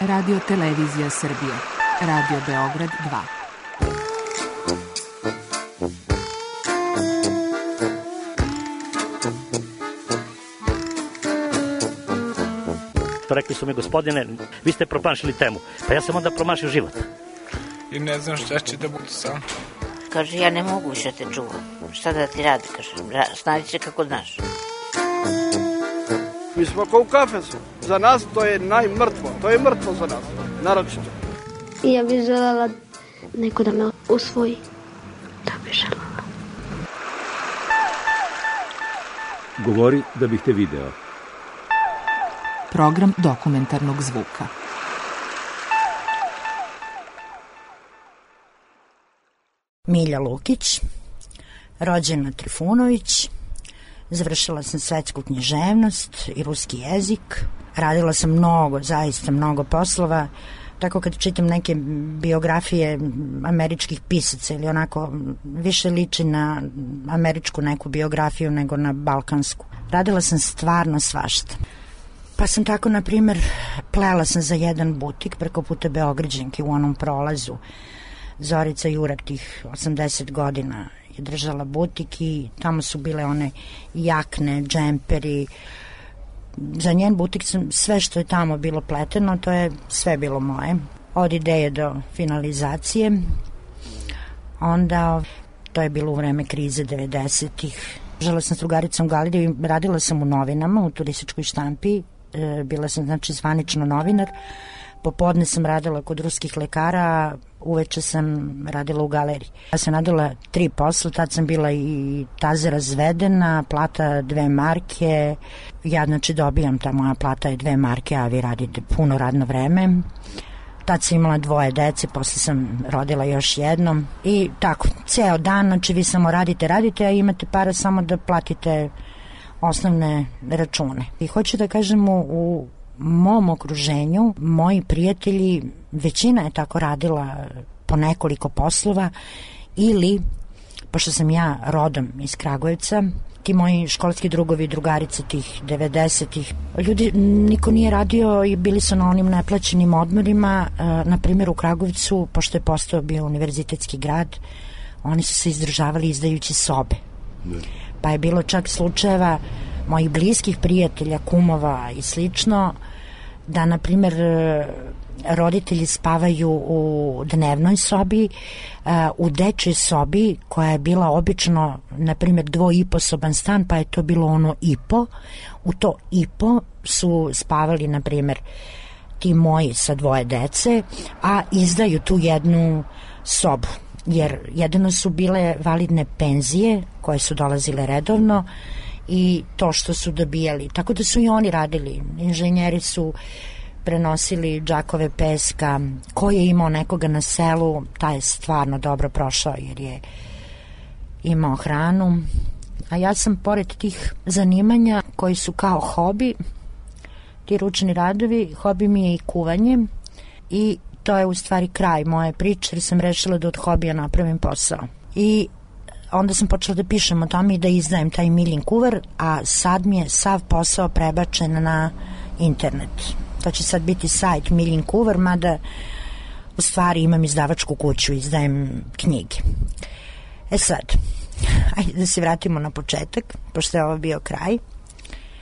Radio Televizija Srbije, Radio Beograd 2. Rekli su mi, gospodine, vi ste promašili temu. Pa ja sam onda promašio život. I ne znam šta će da bude sam. Kaže, ja ne mogu više te čuvam. Šta da ti radi, kaže, snađi se kako znaš. Mi smo kao u kafesu. Za nas to je najmrtvo. To je mrtvo za nas, naročito. I ja bih želela neko da me usvoji. Da bih želela. Govori da bih te video. Program dokumentarnog zvuka. Milja Lukić, rođena Trifunović, završila sam svetsku književnost i ruski jezik, radila sam zaista mnogo poslova, tako kad čitam neke biografije američkih pisaca ili onako više liči na američku neku biografiju nego na balkansku. Radila sam stvarno svašta. Pa sam tako, na primer, plela sam za jedan butik preko puta Beograđanke u onom prolazu. Zorica Jurak tih 80 godina je držala butik i tamo su bile one jakne, džemperi. Za njen butik sam sve što je tamo bilo pleteno, to je sve bilo moje. Od ideje do finalizacije. Onda, to je bilo u vreme krize 90-ih. Žela sam s drugaricom Galidiju i radila sam u novinama, u turističkoj štampi. Bila sam, znači, zvanično novinar. Popodne sam radila kod ruskih lekara, a uveče sam radila u galeriji. Ja sam radila 3 posla, tad sam bila i taze razvedena, plata 2 marke. Ja, znači, dobijam, ta moja plata je 2 marke, a vi radite puno radno vreme. Tad sam imala 2 dece, posle sam rodila još jedno. I tako, ceo dan, znači, vi samo radite, a imate para samo da platite osnovne račune. I hoću da kažem, u mom okruženju, moji prijatelji, većina je tako radila po nekoliko poslova ili, pošto sam ja rodom iz Kragujevca, ti moji školski drugovi i drugarice tih 90-ih, ljudi, niko nije radio i bili su na onim neplaćenim odmorima. Na primjer u Kragujevcu, pošto je postao bio univerzitetski grad, oni su se izdržavali izdajući sobe. Pa je bilo čak slučajeva mojih bliskih prijatelja, kumova i slično, da, na primjer, roditelji spavaju u dnevnoj sobi, u dečjoj sobi koja je bila obično, na primjer, 2,5-soban stan, pa je to bilo ono ipo. U to ipo su spavali, na primjer, ti moji sa 2 dece, a izdaju tu jednu sobu. Jer jedino su bile validne penzije koje su dolazile redovno i to što su dobijali. Tako da su i oni radili. Inženjeri su prenosili džakove peska. Ko je imao nekoga na selu, taj je stvarno dobro prošao jer je imao hranu. A ja sam, pored tih zanimanja koji su kao hobi, ti ručni radovi, hobi mi je i kuvanje i to je u stvari kraj moje priče jer sam rešila da od hobija napravim posao. I onda sam počela da pišem o tome i da izdajem taj Miljin kuvar, a sad mi je sav posao prebačen na internet. To će sad biti sajt Miljin kuvar, mada u stvari imam izdavačku kuću, izdajem knjige. Sad, ajde da se vratimo na početak, pošto je ovo bio kraj.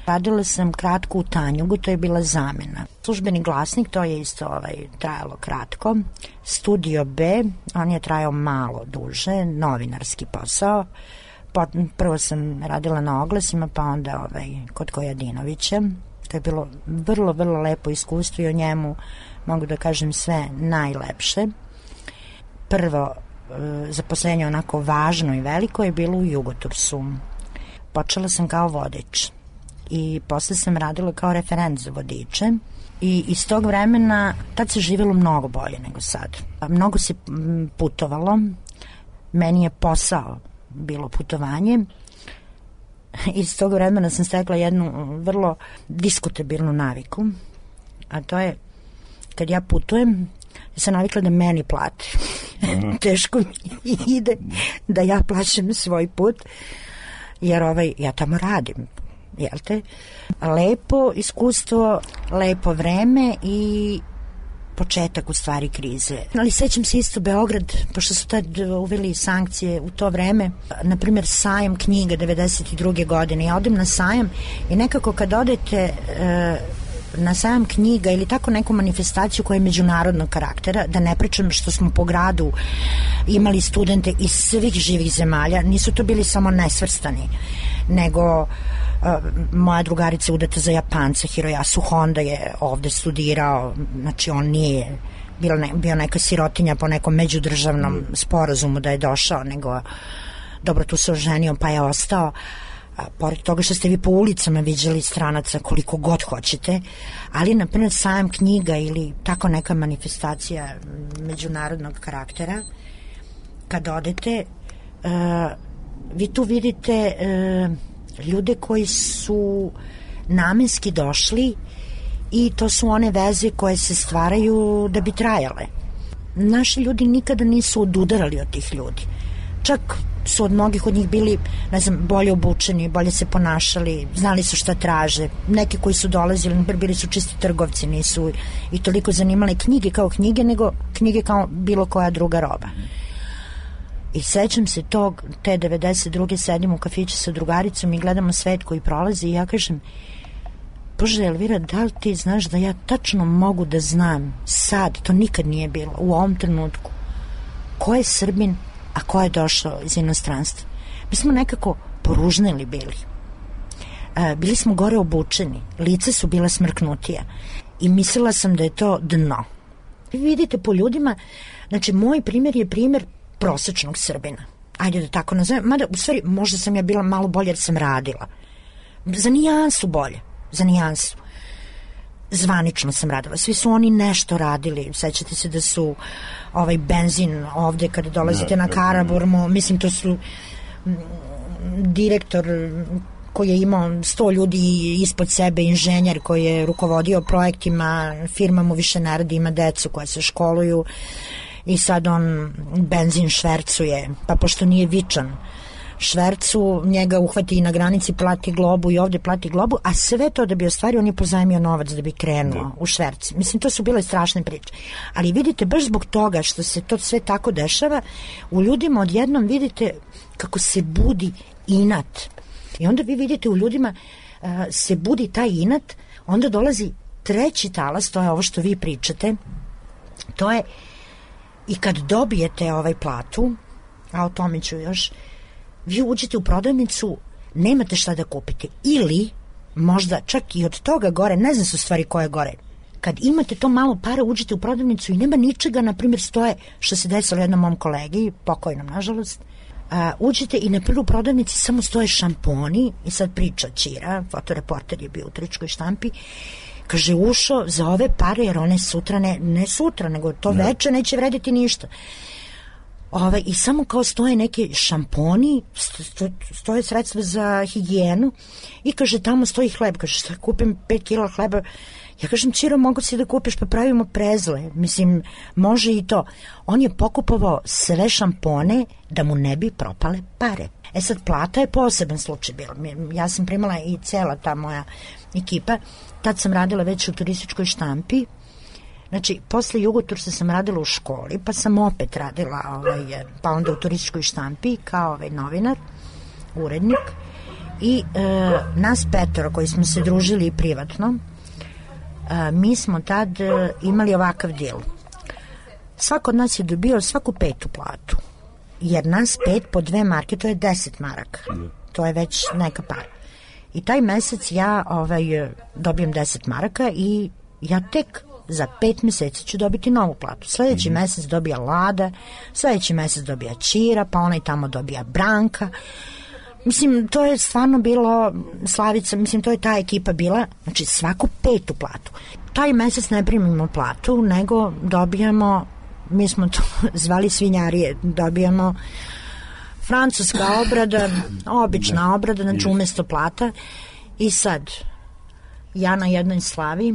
Radila sam kratko u Tanjugu, to je bila zamena. Službeni glasnik, to je isto trajalo kratko. Studio B, on je trajao malo duže, novinarski posao. Prvo sam radila na oglasima, pa onda kod Kojadinovića. To je bilo vrlo, vrlo lepo iskustvo i o njemu mogu da kažem sve najlepše. Prvo zaposlenje onako važno i veliko je bilo u Jugotursu. Počela sam kao vodič i posle sam radila kao referent za vodiče i iz tog vremena tad se živjelo mnogo bolje nego sad. Mnogo se putovalo, meni je posao bilo putovanje. Iz tog vremena sam stekla jednu vrlo diskutabilnu naviku, a to je kad ja putujem, ja sam navikla da meni plate. Teško mi ide da ja plaćam svoj put, jer ja tamo radim. Jel te? Lepo iskustvo, lepo vreme i početak u stvari krize. Ali sećam se isto Beograd, pošto su tad uveli sankcije u to vreme, na primjer sajam knjiga 92. godine. Ja odem na sajam i nekako kad odete na sajam knjiga ili tako neku manifestaciju koja je međunarodnog karaktera, da ne pričam što smo po gradu imali studente iz svih živih zemalja, nisu to bili samo nesvrstani, nego moja drugarica je udata za Japanca, Hiroyasu Honda je ovde studirao, znači on nije bio neka sirotinja po nekom međudržavnom sporazumu da je došao, nego dobro tu se oženio pa je ostao. Pored toga što ste vi po ulicama viđali stranaca koliko god hoćete, ali na primjer sajam knjiga ili tako neka manifestacija međunarodnog karaktera, kad odete vi tu vidite ljude koji su namenski došli i to su one veze koje se stvaraju da bi trajale. Naši ljudi nikada nisu odudarali od tih ljudi, čak su od mnogih od njih bili, ne znam, bolje obučeni, bolje se ponašali, znali su šta traže. Neki koji su dolazili, bili su čisti trgovci, nisu i toliko zanimale knjige kao knjige, nego knjige kao bilo koja druga roba. I sećam se te 92. sedim u kafiću sa drugaricom i gledamo svet koji prolazi i ja kažem, Bože Elvira, da li ti znaš da ja tačno mogu da znam sad, to nikad nije bilo, u ovom trenutku, ko je Srbin, a ko je došao iz inostranstva. Mi smo nekako poružneli bili. Bili smo gore obučeni, lice su bila smrknutija i mislila sam da je to dno. Vi vidite po ljudima, znači moj primjer je primjer prosečnog Srbina. Ajde da tako nazovem, mada u stvari možda sam ja bila malo bolje jer sam radila. Za nijansu bolje, za nijansu. Zvanično sam radila. Svi su oni nešto radili. Sećate se da su benzin ovde kada dolazite na Karaburmu, mislim to su direktor koji je imao 100 ljudi ispod sebe, inženjer koji je rukovodio projektima, firma mu više ne radi, ima decu koja se školuju i sad on benzin švercuje, pa pošto nije vičan švercu, njega uhvati i na granici, plati globu i ovde plati globu, a sve to da bi ostvario, on je pozajmio novac da bi krenuo u šverci. Mislim, to su bile strašne priče. Ali vidite, baš zbog toga što se to sve tako dešava, u ljudima odjednom vidite kako se budi inat. I onda vi vidite u ljudima se budi taj inat, onda dolazi treći talas, to je ovo što vi pričate, to je i kad dobijete platu, a o tome ću još, vi uđete u prodavnicu, nemate šta da kupite. Ili, možda čak i od toga gore, ne znam su stvari koje gore, kad imate to malo para, uđete u prodavnicu i nema ničega, na primjer stoje, što se desilo jednom mom kolegi, pokojnom nažalost, uđete i na prvu prodavnici samo stoje šamponi i sad priča Ćira, fotoreporter je bio u Tričkoj štampi, kaže ušao za ove pare jer one sutra, ne sutra, nego to veče neće vrediti ništa. I samo kao stoje neke šamponi, stoje sredstva za higijenu i kaže tamo stoji hleb, kaže šta kupim 5 kila hleba, ja kažem Ćiro mogu si da kupiš pa pravimo prezle, mislim može i to. On je pokupovao sve šampone da mu ne bi propale pare. Sad plata je poseban slučaj bila, ja sam primala i cela ta moja ekipa, tad sam radila već u Turističkoj štampi. Znači, posle Jugotursa sam radila u školi, pa sam opet radila, pa onda u Turističkoj štampi kao novinar, urednik. I nas 5 koji smo se družili privatno, mi smo tad imali ovakav dil. Svako od nas je dobio svaku 5. platu, jer nas 5 po 2 marke, to je 10 maraka. To je već neka para. I taj mesec ja dobijem 10 maraka i ja tek za 5 meseci ću dobiti novu platu. Sledeći mesec dobija Lada, sledeći mesec dobija Ćira, pa onaj tamo dobija Branka. Mislim, to je stvarno bilo Slavica, mislim, to je ta ekipa bila, znači svaku 5. platu. Taj mesec ne primimo platu, nego dobijamo, mi smo to zvali svinjarije, dobijamo francuska obrada, obična obrada, znači umesto plata. I sad, ja na jednoj slavi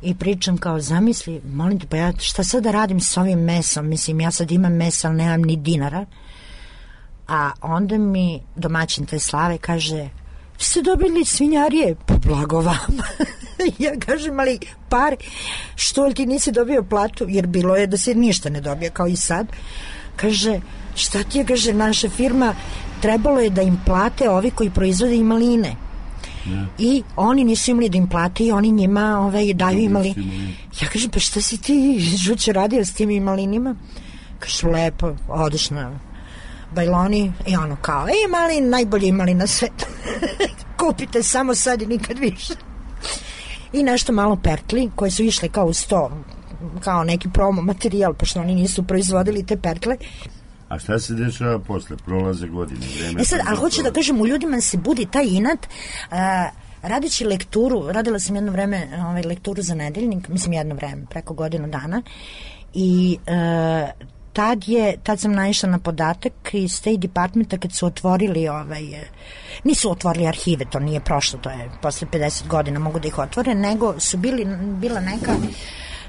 i pričam kao, zamisli, molim te, pa ja šta sad da radim s ovim mesom, mislim, ja sad imam mesa, ali nemam ni dinara. A onda mi domaćin te slave kaže, ste dobili svinjarije, pa blago vama. Ja kažem, ali pare, što li ti nisi dobio platu, jer bilo je da se ništa ne dobije, kao i sad. Kaže, šta ti je, kaže, naša firma, trebalo je da im plate ovi koji proizvode i maline. I oni nisu imali da im plate i oni njima daju imali. Ja kažem, pa šta si ti, Žućo, radio s tim imalinima? Kaže, lepo, odeš na bajloni i ono kao, malin, najbolji imali na svetu. Kupite samo sad i nikad više. I nešto malo pertli koje su išle kao uz to, kao neki promo materijal, pošto oni nisu proizvodili te pertle. A šta se dešava posle? Prolaze godine, vreme. Sad, ali hoću da kažem, u ljudima se budi taj inat. Radeći lekturu, radila sam jedno vreme lekturu za nedeljnik, mislim jedno vreme, preko godinu dana, i tad sam naišla na podatak iz State Departmenta kad su otvorili nisu otvorili arhive, to nije prošlo, to je posle 50 godina mogu da ih otvore, nego su bila neka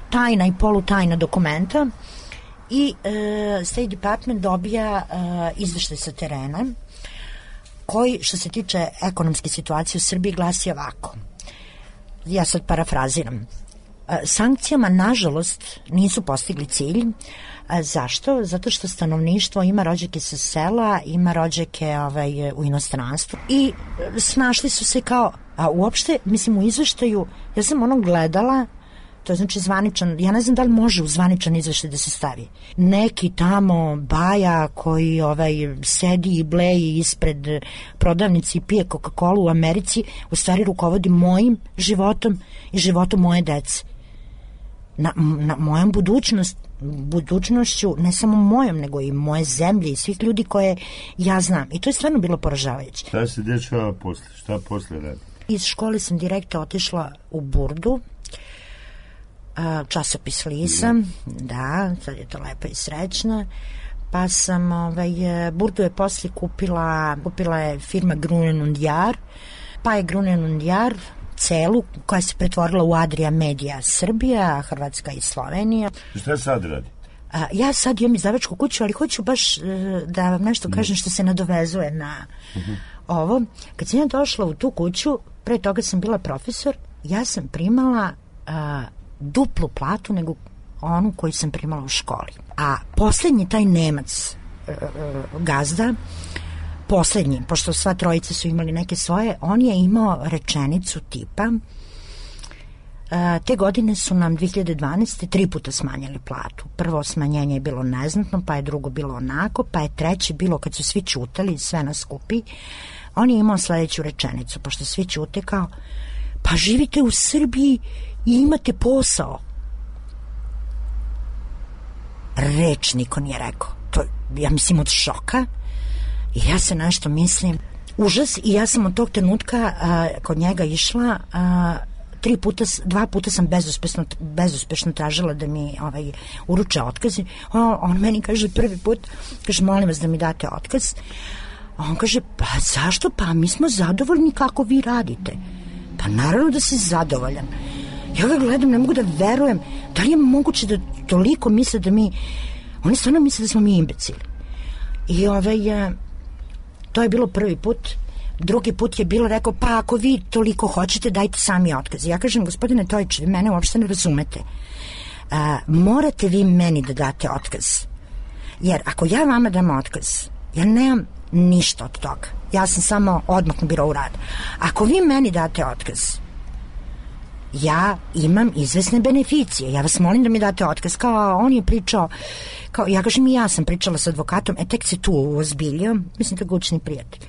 tajna i polutajna dokumenta i State Department dobija izveštaj sa terena koji, što se tiče ekonomske situacije u Srbiji, glasi ovako. Ja sad parafraziram. Sankcijama, nažalost, nisu postigli cilj. Zašto? Zato što stanovništvo ima rođake sa sela, ima rođake u inostranstvu i snašli su se kao, a uopšte, mislim, u izveštaju, ja sam gledala, to je znači zvaničan, ja ne znam da li može u zvaničan izveštaj da se stavi. Neki tamo baja koji sedi i bleji ispred prodavnici i pije Coca-Cola u Americi, u stvari rukovodi mojim životom i životom moje dece. Na mojom budućnošću, ne samo mojom, nego i moje zemlje i svih ljudi koje ja znam. I to je stvarno bilo poražavajuće. Šta se dešava posle? Šta posle radi? Iz škole sam direktno otišla u Burdu, časopis Lisa, da, sad je to lepa i srećna, pa sam, Burdu je posle kupila je firma Grunen und Jahr, pa je Grunen und Jahr celu, koja se pretvorila u Adria Media Srbija, Hrvatska i Slovenija. Šta sad radi? Ja sad imam izdavačku kuću, ali hoću baš da vam nešto kažem što se nadovezuje na ovo. Kad sam ja došla u tu kuću, pre toga sam bila profesor, ja sam primala duplu platu nego onu koju sam primala u školi. A poslednji taj Nemac, gazda, poslednji, pošto sva trojica su imali neke svoje, on je imao rečenicu tipa te godine su nam 2012. 3 puta smanjili platu. Prvo smanjenje je bilo neznatno, pa je drugo bilo onako, pa je treće bilo kad su svi ćutali, sve nas skupi. On je imao sledeću rečenicu, pošto svi ćute kao, pa živite u Srbiji i imate posao. Reč niko nije rekao. To, ja mislim, od šoka. I ja se nešto mislim, užas, i ja sam od tog trenutka kod njega išla, 2 puta sam bezuspešno tražila da mi uruče otkaz. On meni kaže prvi put, kaže, molim vas da mi date otkaz. On kaže, pa zašto? Pa mi smo zadovoljni kako vi radite. Pa naravno da si zadovoljan. Ja ga gledam, ne mogu da verujem. Da li je moguće da toliko misle da mi... Oni stvarno misle da smo mi imbecili. I to je bilo prvi put. Drugi put je bilo rekao, pa ako vi toliko hoćete, dajte sami otkaz. Ja kažem, gospodine Tojić, vi mene uopšte ne razumete. Morate vi meni da date otkaz. Jer ako ja vama dam otkaz, ja nemam ništa od toga. Ja sam samo odmah na birou rada. Ako vi meni date otkaz, ja imam izvesne beneficije. Ja vas molim da mi date otkaz. Kao on je pričao, kao, ja kažem, i ja sam pričala s advokatom, tek se tu ozbiljio, mislim da gučni prijatelj.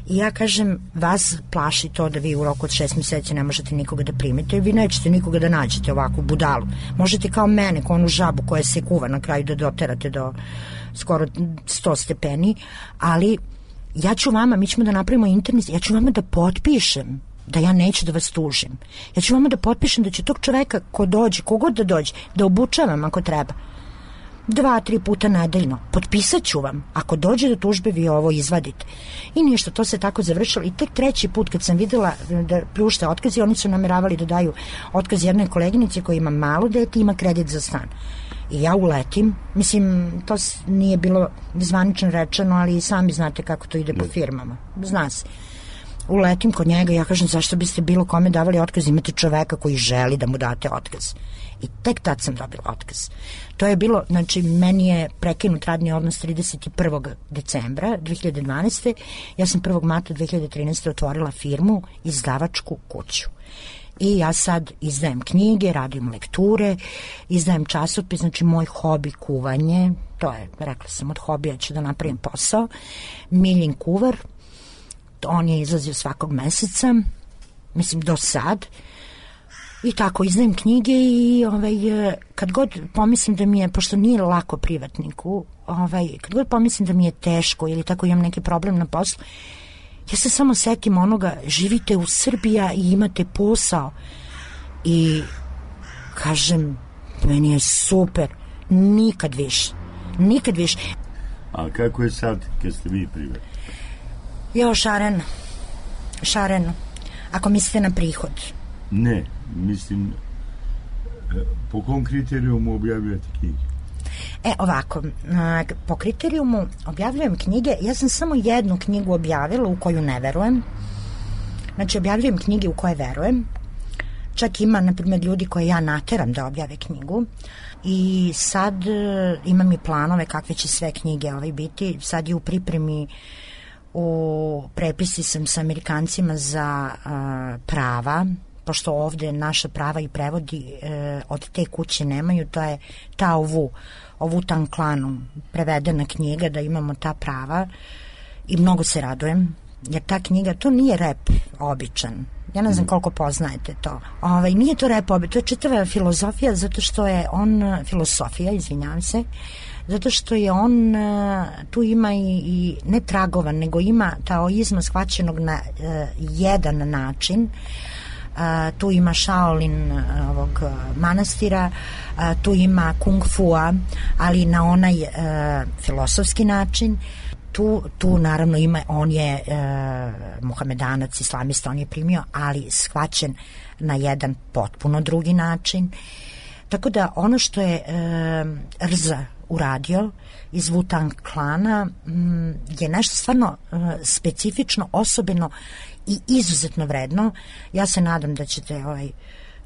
I ja kažem, vas plaši to da vi u roku od 6 meseci ne možete nikoga da primite, vi nećete nikoga da nađete ovako u budalu. Možete kao mene, kao onu žabu koja se kuva na kraju da doterate do skoro 100 stepeni, ali ja ću vama, mi ćemo da napravimo internet, ja ću vama da potpišem da ja neću da vas tužim. Ja ću vama da potpišem da će tog čoveka ko dođe, kogod da dođe, da obučavam ako treba. 2-3 puta nedeljno. Potpisat ću vam. Ako dođe do tužbe, vi ovo izvadite. I ništa, to se tako završilo. I tek treći put kad sam videla da pljušte otkazi, oni su nameravali da daju otkaz jednoj koleginici koja ima malo dete i ima kredit za stan. I ja uletim. Mislim, to nije bilo zvanično rečeno, ali sami znate kako to ide po firmama. Zna se. uletim kod njega i ja kažem zašto biste bilo kome davali otkaz, imate čoveka koji želi da mu date otkaz. I tek tad sam dobila otkaz. To je bilo, znači meni je prekinut radni odnos 31. decembra 2012. Ja sam 1. marta 2013. otvorila firmu, izdavačku kuću. I ja sad izdajem knjige, radim lekture, izdajem časopis, znači moj hobi kuvanje, to je, rekla sam, od hobija ću da napravim posao. Miljin kuvar, on je izlazio svakog meseca, mislim do sad, i tako izdajem knjige i kad god pomislim da mi je, pošto nije lako privatniku, kad god pomislim da mi je teško ili tako imam neki problem na poslu, ja se samo setim onoga, živite u Srbiji i imate posao i kažem, meni je super, nikad više. A kako je sad kad ste vi privatni? Jo, šareno, ako mislite na prihod. Ne, mislim, po kom kriterijumu objavljate knjige? Ovako, po kriterijumu objavljujem knjige, ja sam samo jednu knjigu objavila u koju ne verujem, znači objavljujem knjige u koje verujem, čak ima, na primjer, ljudi koje ja nateram da objave knjigu i sad imam i planove kakve će sve knjige biti, sad je u pripremi, u prepisi sam sa Amerikancima za prava, pošto ovde naša prava i prevodi od te kuće nemaju, to je ta ovu Tanklanu prevedena knjiga, da imamo ta prava i mnogo se radujem, jer ta knjiga, to nije rep običan, ja ne znam koliko poznajete to, nije to rep običan, to je čitava filozofija, zato što je on, zato što je on, tu ima i ne tragovan, nego ima taoizma shvaćenog na jedan način. Tu ima Shaolin ovog manastira, tu ima Kung Fua, ali na onaj filosofski način. Tu naravno ima, on je muhamedanac, islamista, on je primio, ali shvaćen na jedan potpuno drugi način. Tako da ono što je Rza uradio iz Wu-Tang klana je nešto stvarno specifično, osobeno i izuzetno vredno. Ja se nadam da ćete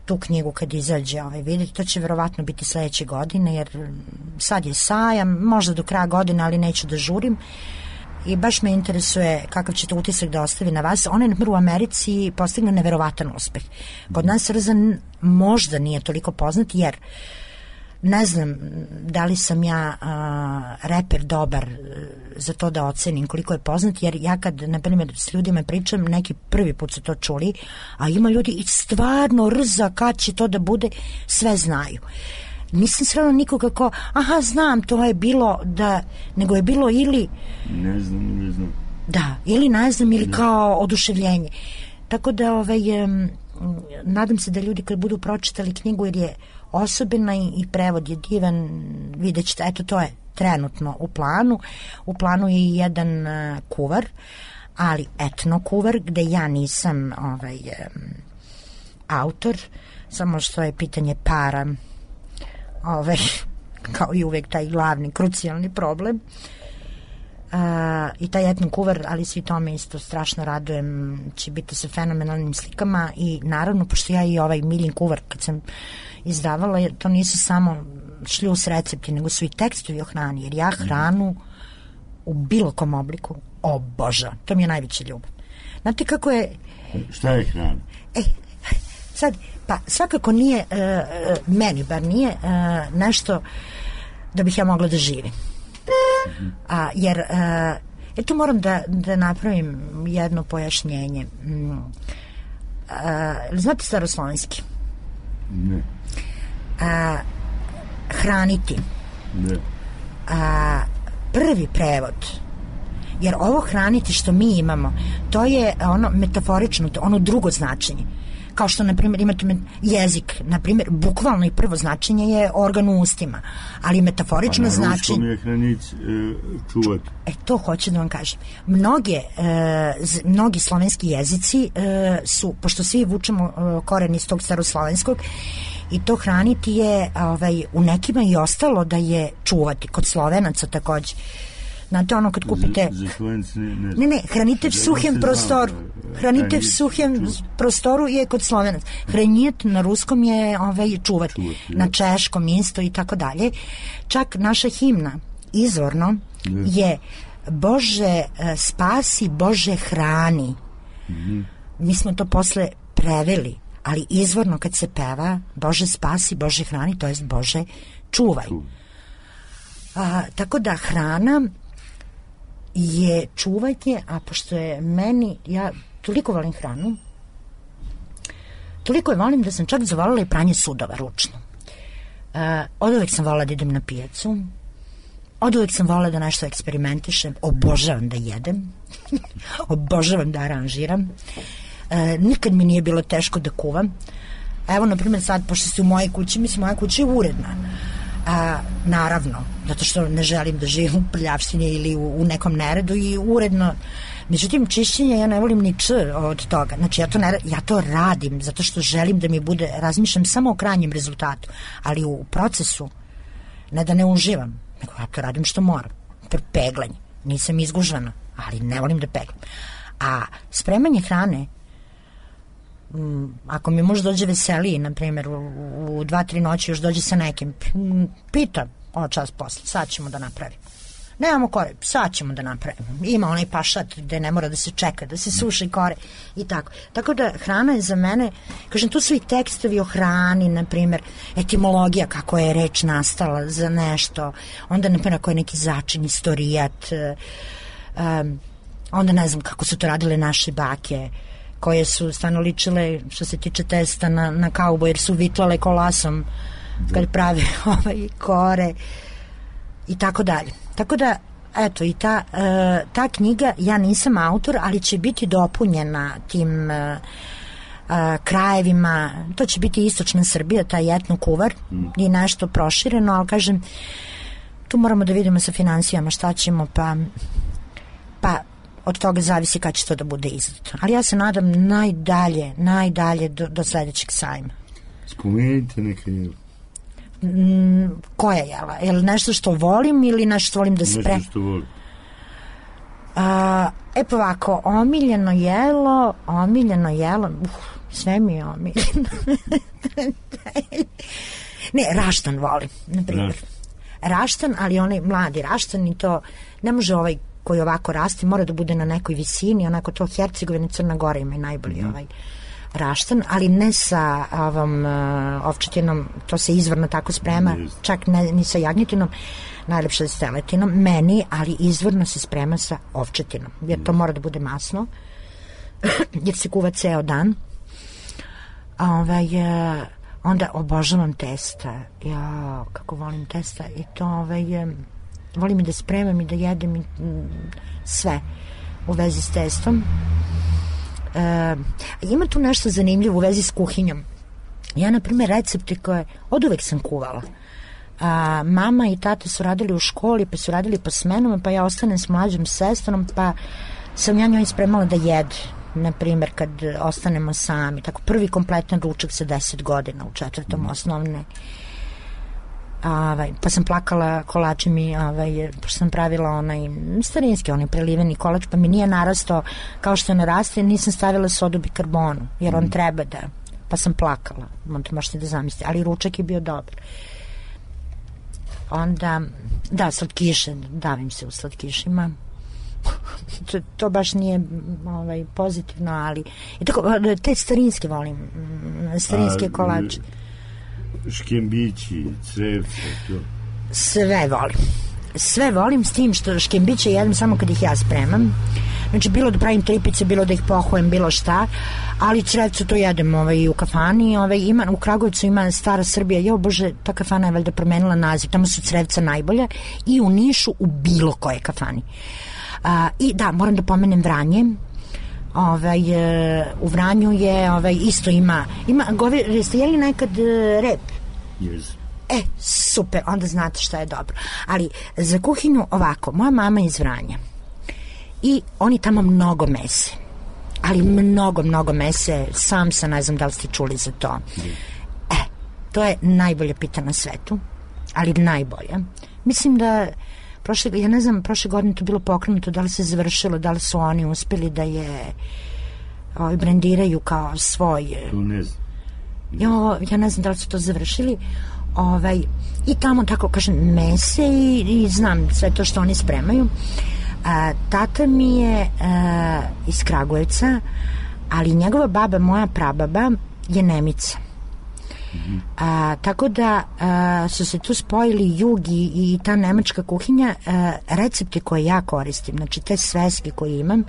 tu knjigu kad izađe vidjeti, to će verovatno biti sledeće godine, jer sad je sajam, možda do kraja godine, ali neću da žurim i baš me interesuje kakav će to utisak da ostavi na vas. On je u Americi postigao neverovatan uspeh. Kod nas Rza možda nije toliko poznat, jer ne znam da li sam ja reper dobar za to da ocenim koliko je poznat, jer ja kad, na primjer, s ljudima pričam, neki prvi put su to čuli, a ima ljudi i stvarno Rza, kad će to da bude, sve znaju. Nisam srela nikoga ko, znam, to je bilo da, nego je bilo ili ne znam da, ili ne znam, ili kao oduševljenje. Tako da nadam se da ljudi kad budu pročitali knjigu, jer je osobina i prevod je divan, vidjet ćete, eto, to je trenutno u planu je i jedan kuvar, ali etno kuvar, gde ja nisam autor, samo što je pitanje para kao i uvek taj glavni, krucijalni problem. I taj etno kuvar, ali svi tome isto strašno radujem, će biti sa fenomenalnim slikama i naravno, pošto ja i Miljin kuvar kad sam izdavala, to nisu samo šljus recepti, nego su i tekstovi o hrani, jer ja hranu u bilo kom obliku obožavam, to mi je najveća ljubav. Znate kako je... Šta je hrana? Sad, pa svakako nije, meni bar nije nešto da bih ja mogla da živim. Jer tu moram da napravim jedno pojašnjenje. Znate staroslovenski? Ne. Hraniti. Ne. Prvi prevod, jer ovo hraniti što mi imamo, to je ono metaforično, ono drugo značenje. Kao što, na primjer, imate jezik, na primjer, bukvalno i prvo značenje je organ u ustima, ali metaforično značenje... Na ruskom je hranic čuvat. To hoću da vam kažem. Mnogi slovenski jezici su, pošto svi vučemo koren iz tog staroslovenskog, i to hraniti je u nekima i ostalo da je čuvati, kod Slovenaca takođe. Znate, ono kad kupite... Ne, hranite v suhem prostoru. Hranite v suhem prostoru je kod Slovenac. Hranjet na ruskom je čuvati. Na češkom isto i tako dalje. Čak naša himna izvorno je Bože spasi, Bože hrani. Mi smo to posle preveli, ali izvorno kad se peva Bože spasi, Bože hrani, to jest Bože čuvaj. Tako da hrana je čuvanje, a pošto je meni, ja toliko volim hranu, toliko je volim da sam čak zavolila i pranje sudova ručno. Od uvek sam volila da idem na pijacu, od uvek sam volila da nešto eksperimentišem, obožavam da jedem, obožavam da aranžiram, nikad mi nije bilo teško da kuvam. Evo, na primjer, sad, pošto ste u mojoj kući, mislim, moja kuća je uredna. Naravno, zato što ne želim da živim u prljavštini ili u nekom neredu i uredno. Međutim, čišćenje ja ne volim ni od toga. Znači, ja to radim zato što želim da mi bude, razmišljam samo o krajnjem rezultatu, ali u procesu, ne da ne uživam, nego ja to radim što moram. Peglanje, nisam izgužvana, ali ne volim da peglam. A spremanje hrane, ako mi muž dođe veseliji, na primjer u 2-3 noći još dođe sa nekim, pitam čas posle, sad ćemo da napravimo, nemamo kore, sad ćemo da napravimo, ima onaj pašat gde ne mora da se čeka, da se suši kore i tako da hrana je za mene, kažem, tu su i tekstovi o hrani, na primjer etimologija, kako je reč nastala za nešto, onda na primjer ako je neki začin, istorijat, onda ne znam kako su to radile naše bake, koje su stvarno ličile, što se tiče testa, na kaubo, jer su vitlale kolasom kad prave kore i tako dalje. Tako da, eto, i ta knjiga, ja nisam autor, ali će biti dopunjena tim krajevima, to će biti istočna Srbija, taj etno-kuvar i nešto prošireno, ali kažem, tu moramo da vidimo sa financijama šta ćemo, pa od toga zavisi kada će to da bude izdato. Ali ja se nadam najdalje do sledećeg sajma. Spomenite neka jela. Koja jela? Je li nešto što volim ili nešto što volim da spremam? Nešto što volim. Pa ovako, omiljeno jelo, sve mi je omiljeno. Ne, raštan volim, na primjer. Raštan, ali onaj mladi raštan i to ne može koji ovako raste, mora da bude na nekoj visini, onako to Hercegovina i Crna Gora ima i najbolji raštan, ali ne sa ovom ovčetinom, to se izvorno tako sprema, čak ni sa jagnjetinom, najlepše s teletinom, meni, ali izvorno se sprema sa ovčetinom, jer to mora da bude masno, jer se kuva ceo dan. Onda obožavam testa, kako volim testa i to volim i da spremam i da jedem i sve u vezi s testom. Ima tu nešto zanimljivo u vezi s kuhinjom. Ja, na primjer, recepte koje od uvek sam kuvala. Mama i tata su radili u školi, pa su radili po smenama, pa ja ostanem s mlađom sestrom, pa sam ja njoj spremala da jede. Na primjer, kad ostanemo sami. Tako, prvi kompletan ručak sa 10 godina u 4. osnovne. Pa sam plakala kolačem i pošto sam pravila onaj starinski, onaj preliveni kolač, pa mi nije narastao kao što naraste, nisam stavila sodu bikarbonu, jer on treba da, pa sam plakala, možete da zamislite, ali ručak je bio dobar. Onda, da, slatkiše, davim se u slatkišima, to baš nije pozitivno, ali i tako, te starinske volim, starinske kolače. Škembići, crevce, to. Sve volim s tim što škembiće jedem samo kad ih ja spremam. Znači, bilo da pravim tripice, bilo da ih pohujem, bilo šta, ali crevce to jedem u kafani. U Kragujevcu ima Stara Srbija, bože, ta kafana je valjda promenila naziv, tamo su crevca najbolja, i u Nišu u bilo koje kafani. I da, moram da pomenem Vranje. U Vranju je isto ima jeste jeli nekad rep? Yes. Super, onda znate šta je dobro. Ali za kuhinju ovako, moja mama je iz Vranja i oni tamo mnogo mese, ali mnogo mese, samsa, ne znam da li ste čuli za to. To je najbolja pita na svetu, ali najbolja. Mislim da ja ne znam, prošle godine to bilo pokrenuto, da li se završilo, da li su oni uspeli da je brendiraju kao svoj. Tu ne znam. Ja ne znam da li su to završili. I tamo, tako kažem, mese i znam sve to što oni spremaju. Tata mi je iz Kragujevca, ali njegova baba, moja prababa, je Nemica. Tako da su se tu spojili jug i ta nemačka kuhinja. Recepte koje ja koristim, znači te sveske koje imam,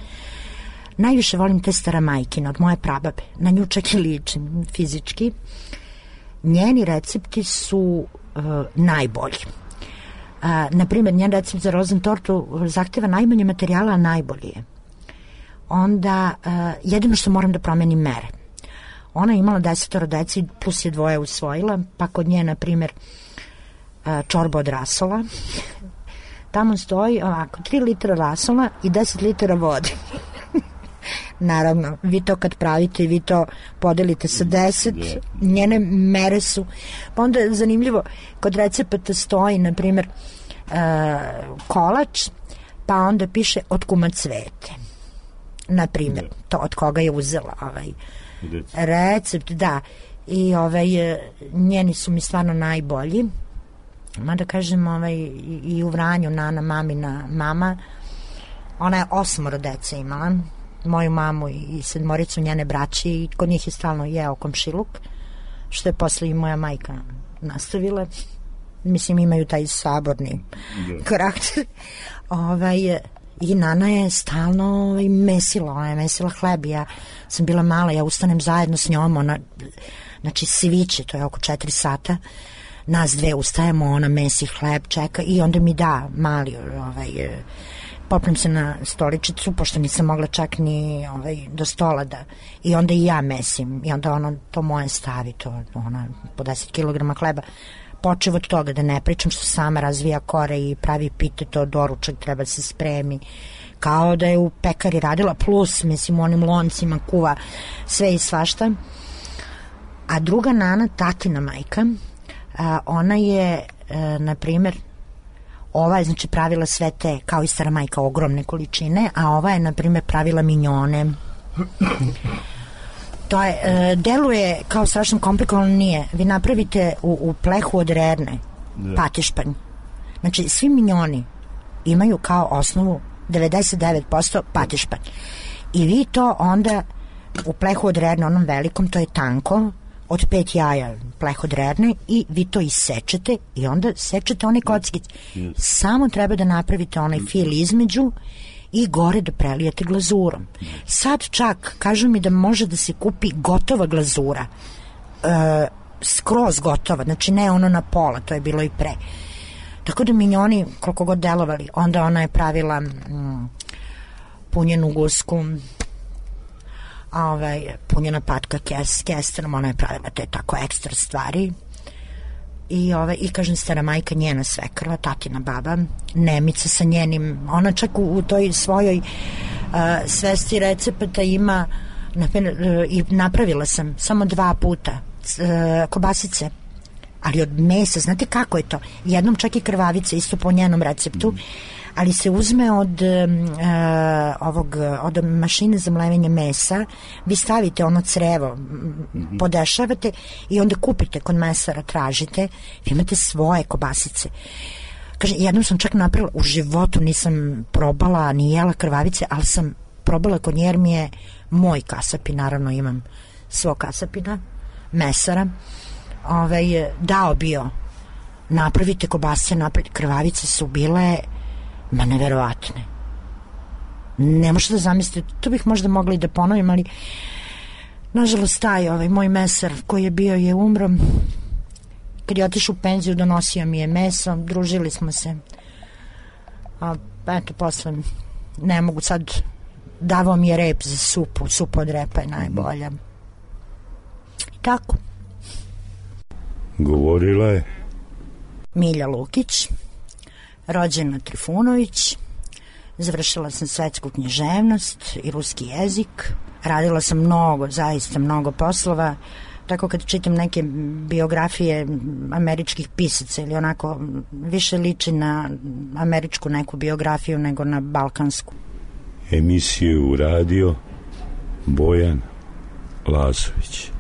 najviše volim te staramajkine od moje prababe. Na nju čak i ličim fizički. Njeni recepti su najbolji. Naprimjer, njen recept za rozentortu zahteva najmanje materijala, a najbolji je. Onda, jedino što moram da promenim mere. Ona je imala 10 deci, plus je 2 usvojila, pa kod nje, na primjer, čorba od rasola. Tamo stoji ovako, 3 litra rasola i 10 litara vode. Naravno, vi to kad pravite, vi to podelite sa 10, njene mere su. Pa onda je zanimljivo, kod recepata stoji, na primjer, kolač, pa onda piše od kuma Cvete. Na primjer, to od koga je uzela recept, da. I njeni su mi stvarno najbolji. Mada kažem, i u Vranju Nana, mamina mama, ona je 8 dece imala, moju mamu i 7 njene braće, i kod njih je stalno jeo komšiluk, što je posle i moja majka nastavila. Mislim, imaju taj saborni karakter. I Nana je stalno mesila, ona je mesila hleb. Ja sam bila mala, ja ustanem zajedno s njom, ona, znači sviće, to je oko 4 sata, nas dve ustajemo, ona mesi hleb, čeka i onda mi da mali, popnem se na stoličicu, pošto nisam mogla čak ni do stola da, i onda i ja mesim, i onda ona to moje stavi, to ona po 10 kilograma hleba, počev od toga da ne pričam što sama razvija kore i pravi pite, to doručak treba se spremi, kao da je u pekari radila, plus, mislim, u onim loncima kuva sve i svašta. A druga Nana, tatina majka, ona je, na primjer, ova je, znači, pravila sve te, kao i stara majka, ogromne količine, a ova je, na primjer, pravila minjone. To je, deluje kao strašno komplikovano, nije. Vi napravite u plehu od rerne patišpanj. Znači, svi minjoni imaju kao osnovu 99% patišpanj. I vi to onda u plehu od rerne, onom velikom, to je tanko, od 5 jaja pleh od rerne, i vi to isečete i onda sečete one kockice. Samo treba da napravite onaj fil između i gore da prelijete glazurom. Sad čak kažu mi da može da se kupi gotova glazura, skroz gotova, znači ne ono na pola, to je bilo i pre. Tako da minjoni koliko god delovali, onda ona je pravila punjenu gusku, punjena patka kesterom, ona je pravila te tako ekstra stvari. I kažem, stara majka, njena svekrva, tatina baba, Nemica sa njenim, ona čak u toj svojoj svesti recepata ima, i napravila sam samo 2 puta kobasice, ali od mesa, znate kako je to, jednom čak i krvavice, isto po njenom receptu, ali se uzme od mašine za mlevenje mesa, vi stavite ono crevo, podešavate i onda kupite kod mesara, tražite, vi imate svoje kobasice. Kaže, jednom sam čak napravila, u životu nisam probala ni jela krvavice, ali sam probala kod nje, jer mi je moj kasapin, naravno imam svog kasapina, mesara, dao bio, napravite kobasice, krvavice su bile neverovatne. Ne možete da zamislite, to bih možda mogla i da ponovim, ali nažalost taj moj mesar koji je bio je umro. Kad je otišao u penziju, donosio mi je meso, družili smo se, a eto posle ne mogu sad, davao mi je rep za supu, supa od repa je najbolja. I tako. Govorila je Milja Lukić, rođena Trifunović, završila sam svetsku književnost i ruski jezik, radila sam mnogo, zaista mnogo poslova, Tako kad čitam neke biografije američkih pisaca ili onako više liči na američku neku biografiju nego na balkansku. Emisiju uradio Bojan Lazović.